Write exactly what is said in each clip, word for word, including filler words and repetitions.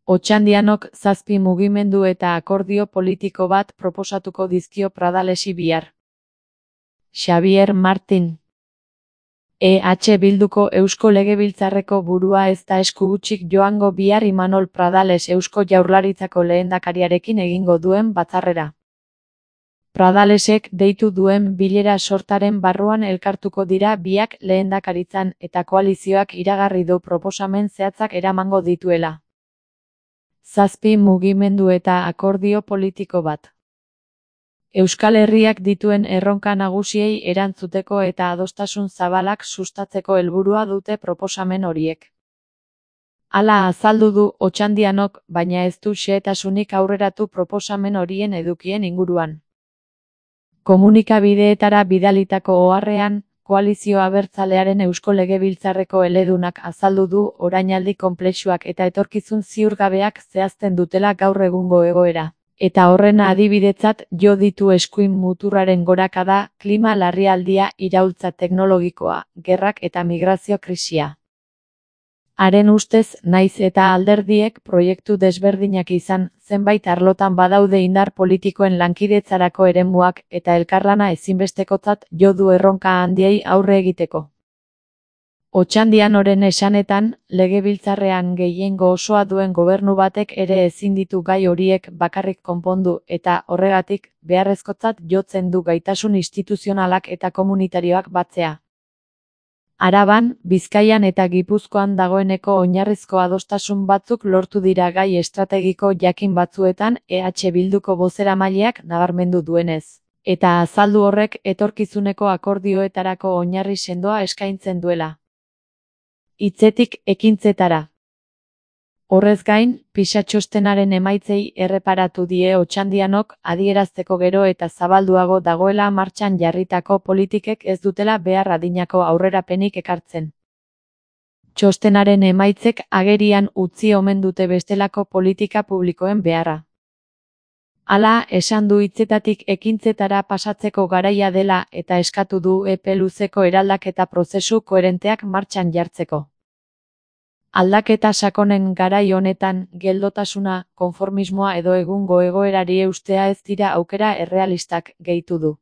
Otxandianok zazpi mugimendu eta akordio politiko bat proposatuko dizkio Pradalesi bihar. Xabier Martin. E H Bilduko Eusko Legebiltzarreko burua ez da esku hutsik joango bihar Imanol Pradales Eusko Jaurlaritzako lehendakariarekin egingo duen batzarrera. Pradalesek deitu duen bilera sortaren barruan elkartuko dira biak lehendakaritzan eta koalizioak iragarri du proposamen zehatzak eramango dituela. Zazpi mugimendu eta akordio politiko bat. Euskal Herriak dituen erronka nagusiei erantzuteko eta adostasun zabalak sustatzeko helburua dute proposamen horiek. Hala azaldu du Otxandianok, baina ez du xehetasunik aurreratu proposamen horien edukien inguruan. Komunikabideetara bidalitako oharrean, Koalizio Abertzalearen Eusko Legebiltzarreko eledunak azaldu du orainaldi konplexuak eta etorkizun ziurgabeak zehazten dutela gaur egungo egoera. Eta horren adibidetzat jo ditu eskuin muturraren gorakada, klima larrialdia, iraultza teknologikoa, gerrak eta migrazio krisia. Haren ustez, naiz eta alderdiek proiektu desberdinak izan, zenbait arlotan badaude indar politikoen lankidetzarako eremuak eta elkarlana ezinbestekotzat jo du erronka handiei aurre egiteko. Otxandianoren esanetan, legebiltzarrean gehiengo osoa duen gobernu batek ere ezin ditu gai horiek bakarrik konpondu eta horregatik beharrezkotzat jotzen du gaitasun instituzionalak eta komunitarioak batzea. Araban, Bizkaian eta Gipuzkoan dagoeneko oinarrizko adostasun batzuk lortu dira gai estrategiko jakin batzuetan E H Bilduko bozeramaileak nabarmendu duenez, eta azaldu horrek etorkizuneko akordioetarako oinarri sendoa eskaintzen duela. Hitzetik ekintzetara. Horrez gain, PISA txostenaren emaitzei erreparatu die Otxandianok adierazteko gero eta zabalduago dagoela martxan jarritako politikek ez dutela behar adinako aurrerapenik ekartzen. Txostenaren emaitzek agerian utzi omen dute bestelako politika publikoen beharra. Hala, esan du hitzetatik ekintzetara pasatzeko garaia dela eta eskatu du epe luzeko eraldaketa prozesu koherenteak martxan jartzeko. Aldaketa sakonen garai honetan, geldotasuna, konformismoa edo egungo egoerari eustea ez dira aukera errealistak, gehitu du.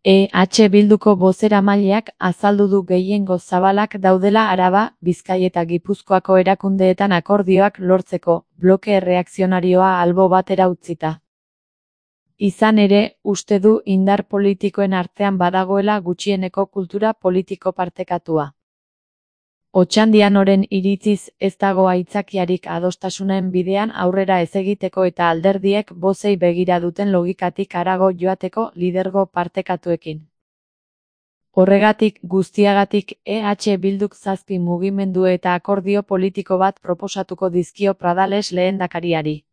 E H Bilduko bozeramaileak azaldu du gehiengo zabalak daudela Araba, Bizkai eta Gipuzkoako erakundeetan akordioak lortzeko, bloke erreakzionarioa albo batera utzita. Izan ere, uste du indar politikoen artean badagoela gutxieneko kultura politiko partekatua. Otxandianoren iritziz ez dago aitzakiarik adostasunen bidean aurrera ez egiteko eta alderdiek bozei begira duten logikatik harago joateko lidergo partekatuekin. Horregatik guztiagatik E H Bilduk zazpi mugimendu eta akordio politiko bat proposatuko dizkio Pradales lehendakariari.